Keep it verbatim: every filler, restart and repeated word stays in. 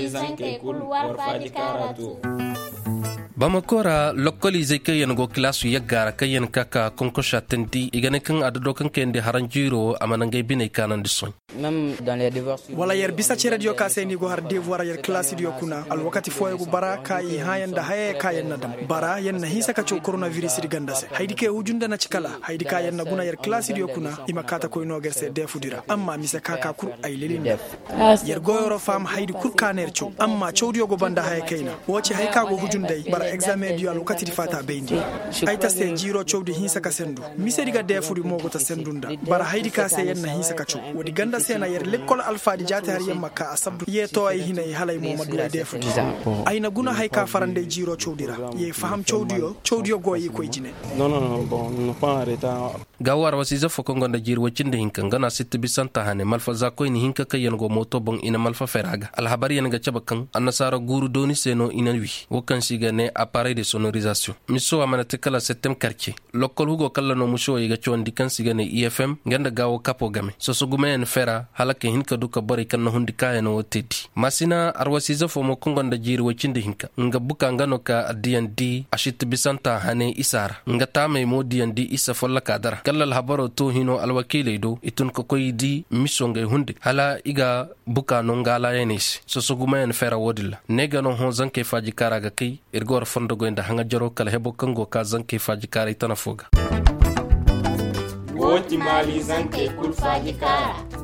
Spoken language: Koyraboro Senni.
Zankey kul war faaji kaara to. Bamako ra lokkol izey kaŋ yaŋ go kilaasu yagga ra kaŋ yaŋ ka ka konkosa tandi i ga ne kaŋ a dado kaŋ kayandi haran jiiro a mana ngey biney kaanandi soy. Wala yer bisa cerediyo ka se ni go har devoir yer kilaasidiyo kuna alwakati fooyaŋ go bara ka i hãayaŋ nda hayey ka yer na dam bara yer na hinsa ka caw koronavirus di ganda se haydi kay huju nda na ci kala haydi ka yer na guna yer kilaasidiyo kuna i ma kaata koy no ga yer se deefudi ra amma mise ka ka kul ay lelindi. Yer goyoro faham haydi kul ka na yer caw amma cawdiyo go banda haya kayna. Wo ci hay ka go huju nda ay bara egzaameŋ diyo alwakati di faata bayndi. Ay ta se jiiro cawdi hinsa ka sendu. Misedi ga deefudi mo go ta sendu nda bara haydi ka se yer na hinsa ka caw. Woodi ganda se na yer lekkol alfaadi jaati har yer ma ka a sabdu ye to ay hinay hala ay mo ma du ay deefudi. Ay na guna hay ka faranday jiiro cawdi ra ye faham cawdiyo cawdiyo go i koy jine. Gaawar wasiize fo kaŋ gonda jiiri woy cindi hinka nga no a sitti bisanta hane malfa za koyni hinka kaŋ yaŋ go mooto boŋ i na malfa fera ga alhabaryaŋ ga cabe kaŋ annasaara guuru dooni se no i na wi. Wo kaŋ se i ga ne aparey de sonorizasiyoŋ miso a mana te kala settem karce. Lokkol hugo kalla no muso i ga cawandi kaŋ se i ga ne ifm nga nda gaawo kapo game soso gumayaŋ fera hala ka hin ka du ka borey kaŋ na hundi kaayaŋo wo te di. Masina arwasiize fo mo kaŋ gonda jiiri woy cindi hinka nga buka nga no ka addiyandi a sitti bisanta hane isa ra nga taamey mo diyandi isa folloka dara kalla alhabaro to hino alwakiiley do i tun ka koy di miso ngey hunde hala i ga buka no nga alaayaney se soso gumayaŋ fera wo-din ra ne ga no hõ zankey faajikaara ga kay. Ir ga war fondogoy nda haŋajaro kala hebo kaŋ go ka zankey faajikaaray tana fo ga. Wo ti maali zankey kul faajikaara.